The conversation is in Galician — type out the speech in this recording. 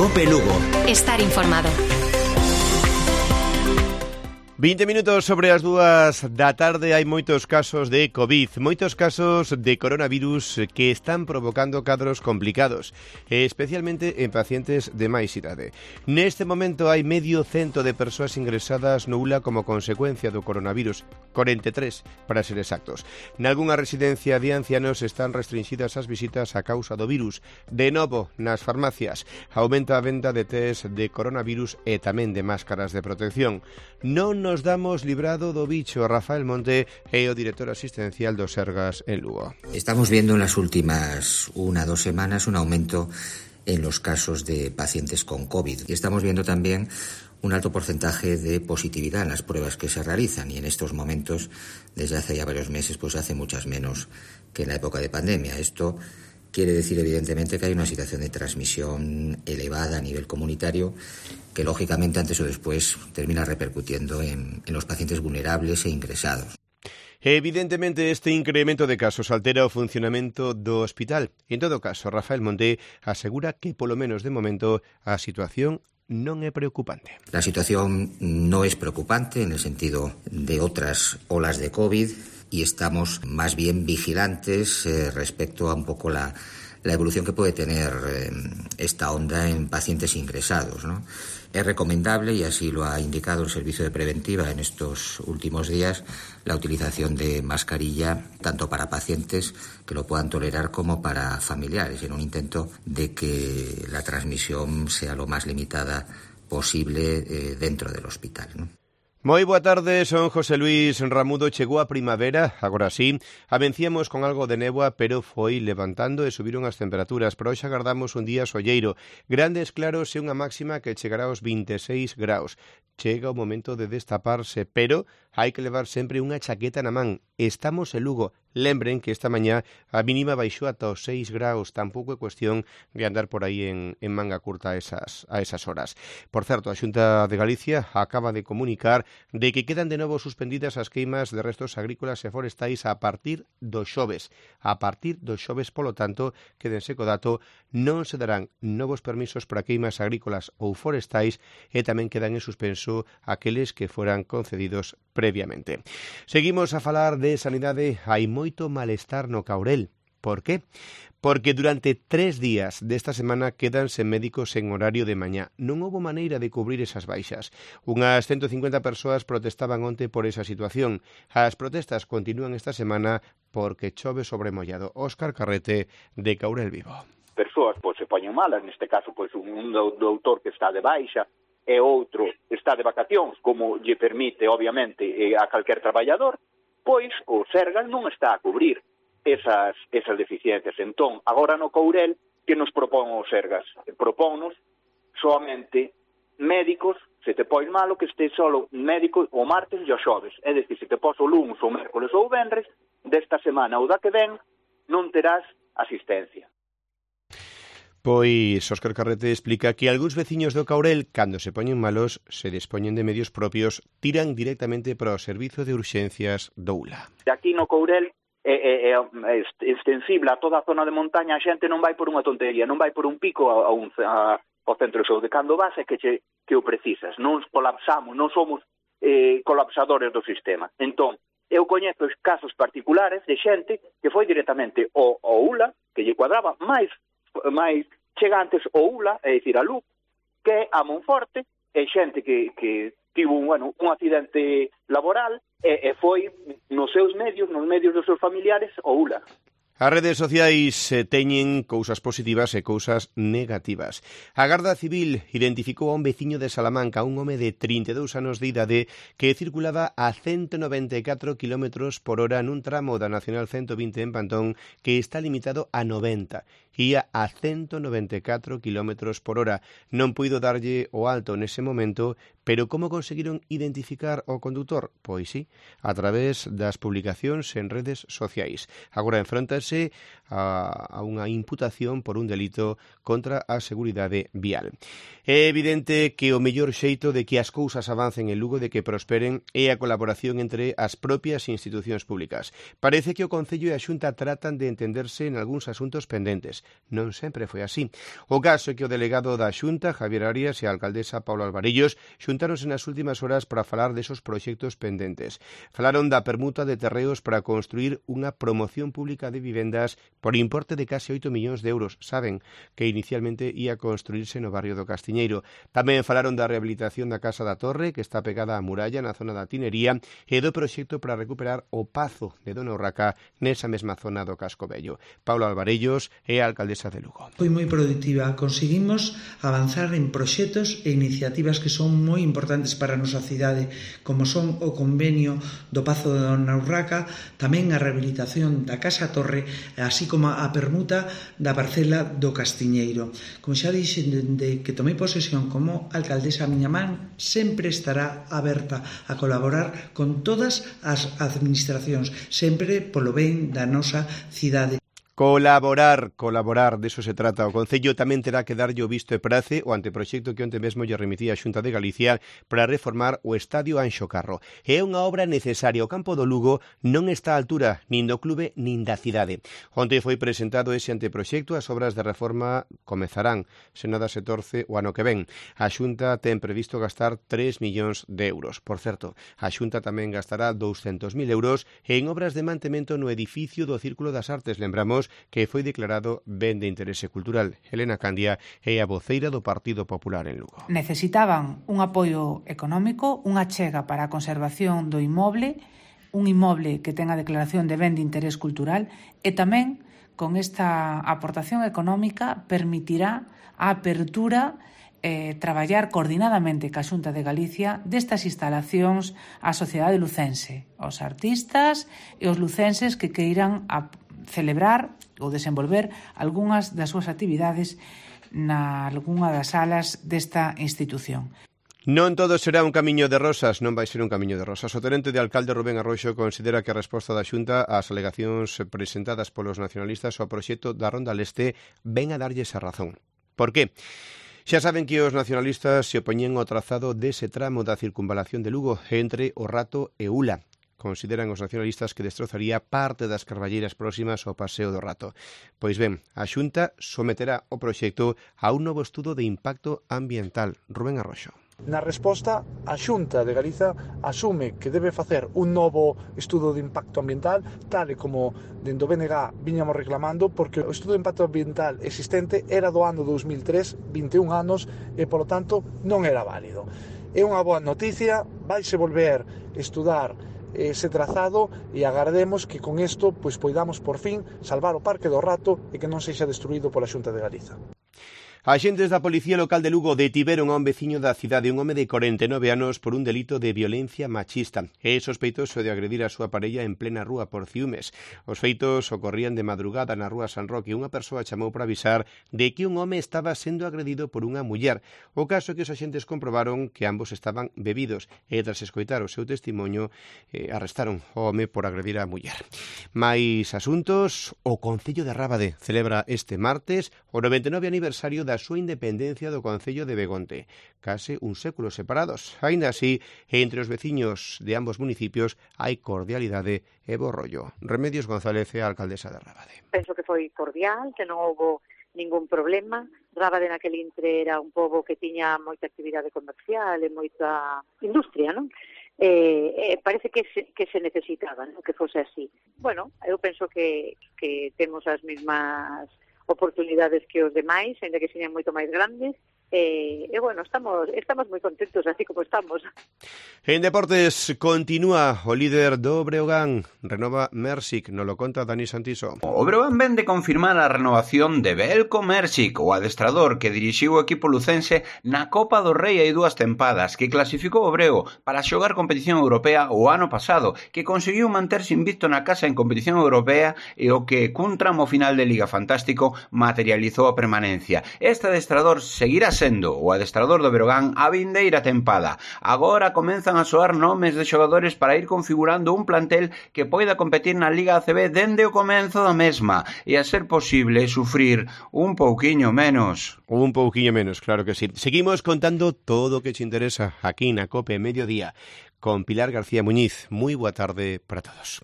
COPE Lugo. Estar informado. 20 minutos sobre as 2 da tarde. Hai moitos casos de COVID, moitos casos de coronavirus que están provocando cadros complicados, especialmente en pacientes de máis idade. Neste momento hai medio cento de persoas ingresadas no ULA como consecuencia do coronavirus, 43 para ser exactos. Nalgunha residencia de ancianos están restringidas as visitas a causa do virus. De novo, nas farmacias, aumenta a venda de test de coronavirus e tamén de máscaras de protección. Non nos damos librado do bicho. Rafael Monte é o director asistencial do Sergas en Lugo. Estamos viendo en las últimas 1 o 2 semanas un aumento en los casos de pacientes con COVID. Y estamos viendo también un alto porcentaje de positividad en las pruebas que se realizan. Y en estos momentos, desde hace ya varios meses, pues hace muchas menos que en la época de pandemia. Esto quiere decir, evidentemente, que hay una situación de transmisión elevada a nivel comunitario que, lógicamente, antes o después termina repercutiendo en los pacientes vulnerables e ingresados. Evidentemente, este incremento de casos altera o funcionamento do hospital. En todo caso, Rafael Monte asegura que, polo menos de momento, a situación non é preocupante. La situación no es preocupante en el sentido de otras olas de COVID y estamos más bien vigilantes respecto a un poco la evolución que puede tener esta onda en pacientes ingresados, ¿no? Es recomendable, y así lo ha indicado el Servicio de Preventiva en estos últimos días, la utilización de mascarilla tanto para pacientes que lo puedan tolerar como para familiares, en un intento de que la transmisión sea lo más limitada posible dentro del hospital, ¿no? Moi boa tarde, son José Luis Ramudo. Chegou a primavera, agora sí. Avencíamos con algo de néboa, pero foi levantando e subiron as temperaturas. Pero hoxe agardamos un día solleiro. Grandes claros e unha máxima que chegará aos 26 graus. Chega o momento de destaparse, pero hai que levar sempre unha chaqueta na man. Estamos en Lugo. Lembren que esta mañá a mínima baixou ata os 6 graus. Tampouco é cuestión de andar por aí en manga curta a esas horas. Por certo, a Xunta de Galicia acaba de comunicar de que quedan de novo suspendidas as queimas de restos agrícolas e forestais a partir do xoves. A partir do xoves, polo tanto, quédense co dato, non se darán novos permisos para queimas agrícolas ou forestais e tamén quedan en suspenso aqueles que foran concedidos previamente. Seguimos a falar de sanidade. Hai moito malestar no Caurel. Por qué? Porque durante 3 días desta semana quedanse médicos en horario de mañá. Non houbo maneira de cubrir esas baixas. Unhas 150 persoas protestaban onte por esa situación. As protestas continúan esta semana porque chove sobre mollado. Óscar Carrete, de Caurel Vivo. Persoas se poñen malas, neste caso un doutor que está de baixa e outro está de vacacións, como lle permite, obviamente, a calquer traballador, pois o Sergas non está a cubrir esas deficiencias. Entón, agora no Courel, que nos propón o Sergas? Propónnos soamente médicos, se te pois malo, que este solo médico o martes e o xoves. É dicir, se te pos o lunes, o mércoles ou o venres, desta semana ou da que ven, non terás asistencia. Pois Óscar Carrete explica que algúns veciños do Caurel, cando se poñen malos, se dispoñen de medios propios, tiran directamente para o servizo de urxencias do ULA. Aquí no Courel é extensible a toda a zona de montaña, a xente non vai por unha tontería, non vai por un pico ao centro de saúde. Cando vas é que o precisas, non colapsamos, non somos colapsadores do sistema. Entón, eu coñezo casos particulares de xente que foi directamente ao ULA, que lle cuadraba máis chegantes ao ULA, é dicir, a Lugo, que a Monforte, e xente que tivo un accidente laboral e foi nos seus medios, nos medios dos seus familiares, ao ULA. As redes sociais teñen cousas positivas e cousas negativas. A Garda Civil identificou a un veciño de Salamanca, un home de 32 anos de idade, que circulaba a 194 km por hora nun tramo da Nacional 120 en Pantón, que está limitado a 90. Ia a 194 km por hora. Non puido darlle o alto nese momento, Pero como conseguiron identificar o condutor? Pois sí, a través das publicacións en redes sociais. Agora enfróntase a unha imputación por un delito contra a seguridade vial. É evidente que o mellor xeito de que as cousas avancen en Lugo, de que prosperen, é a colaboración entre as propias institucións públicas. Parece que o Concello e a Xunta tratan de entenderse en algúns asuntos pendentes. Non sempre foi así. O caso é que o delegado da Xunta, Javier Arias, e a alcaldesa Paula Alvarellos xuntáronse nas últimas horas para falar desos proxectos pendentes. Falaron da permuta de terreos para construir unha promoción pública de vivendas por importe de case 8 millóns de euros. Saben que inicialmente ia construirse no barrio do Castiñeiro. Tamén falaron da rehabilitación da Casa da Torre, que está pegada á muralla na zona da Tinería, e do proxecto para recuperar o Pazo de Dona Urraca nesa mesma zona do Casco Vello. Paula Alvarellos é a alcaldesa de Lugo. Foi moi produtiva. Conseguimos avanzar en proxectos e iniciativas que son moi importantes para a nosa cidade, como son o convenio do Pazo de Dona Urraca, tamén a rehabilitación da Casa Torre, así como a permuta da parcela do Castiñeiro. Como xa dixen, dende que tomei posesión como alcaldesa, a miña man sempre estará aberta a colaborar con todas as administracións, sempre polo ben da nosa cidade. Colaborar, deso se trata. O Concello tamén terá que darlle o visto e prace o anteproxecto que onte mesmo lle remitía a Xunta de Galicia para reformar o Estadio Anxo Carro. É unha obra necesaria. O campo do Lugo non está á altura nin do clube nin da cidade. Onte foi presentado ese anteproxecto. As obras de reforma comezarán, se nada se torce, o ano que ven. A Xunta ten previsto gastar 3 millóns de euros. Por certo, a Xunta tamén gastará 200.000 euros en obras de mantemento no edificio do Círculo das Artes. Lembramos que foi declarado ben de interese cultural. Helena Candia é a voceira do Partido Popular en Lugo. Necesitaban un apoio económico, unha chega para a conservación do inmoble, un inmoble que ten a declaración de ben de interés cultural, e tamén con esta aportación económica permitirá a apertura traballar coordinadamente ca Xunta de Galicia destas instalacións á sociedade lucense, aos artistas e os lucenses que queiran celebrar ou desenvolver algunhas das súas actividades na algunha das salas desta institución. Non todo será un camiño de rosas, non vai ser un camiño de rosas. O tenente de alcalde Rubén Arroxo considera que a resposta da Xunta ás alegacións presentadas polos nacionalistas ao proxecto da Ronda Leste ven a darlle esa razón. Por qué? Xa saben que os nacionalistas se opoñen ao trazado dese tramo da circunvalación de Lugo entre O Rato e Ula. Consideran os nacionalistas que destrozaría parte das carballeiras próximas ao Paseo do Rato. Pois ben, a Xunta someterá o proxecto a un novo estudo de impacto ambiental. Rubén Arroxo. Na resposta, a Xunta de Galiza asume que debe facer un novo estudo de impacto ambiental, tal e como dentro do BNG viñamos reclamando, porque o estudo de impacto ambiental existente era do ano 2003, 21 anos, e polo tanto non era válido. É unha boa noticia, vaise volver estudar ese trazado e agardemos que con isto poidamos por fin salvar o Parque do Rato e que non sexa destruído pola Xunta de Galiza. Axentes da Policía Local de Lugo detiveron a un veciño da cidade, un home de 49 anos, por un delito de violencia machista. É sospeitoso de agredir a súa parella en plena rúa por ciúmes. Os feitos ocorrían de madrugada na rúa San Roque. Unha persoa chamou para avisar de que un home estaba sendo agredido por unha muller. O caso é que os axentes comprobaron que ambos estaban bebidos e, tras escoitar o seu testimonio, arrestaron o home por agredir a muller. Mais asuntos, o Concello de Rábade celebra este martes o 99 aniversario da súa independencia do Concello de Begonte, case un século separados. Aínda así, entre os veciños de ambos municipios hai cordialidade e bo rollo. Remedios González é a alcaldesa de Rábade. Penso que foi cordial, que non houbo ningún problema. Rábade naquel intre era un pobo que tiña moita actividade comercial e moita industria, non? Parece que se necesitaba, non? Que fose así. Bueno, eu penso que temos as mesmas oportunidades que os demais, ainda que señan moito máis grandes, e bueno, estamos moi contentos así como estamos. En deportes continúa o líder do Breogán, renova Mersic, nos lo conta Dani Santiso. O Breogán ven de confirmar a renovación de Belko Mersic, o adestrador que dirixiu o equipo lucense na Copa do Rei hai 2 tempadas, que clasificou o Breo para xogar competición europea o ano pasado, que conseguiu manterse invicto na casa en competición europea e o que cun tramo final de Liga fantástico materializou a permanencia. Este adestrador seguirá sendo o adestrador do Breogán a vindeira tempada. Agora comenzan a soar nomes de xogadores para ir configurando un plantel que poida competir na Liga ACB dende o comenzo da mesma e, a ser posible, sufrir un pouquiño menos. Un pouquiño menos, claro que sí. Seguimos contando todo o que te interesa aquí na COPE Mediodía con Pilar García Muñiz. Moi boa tarde para todos.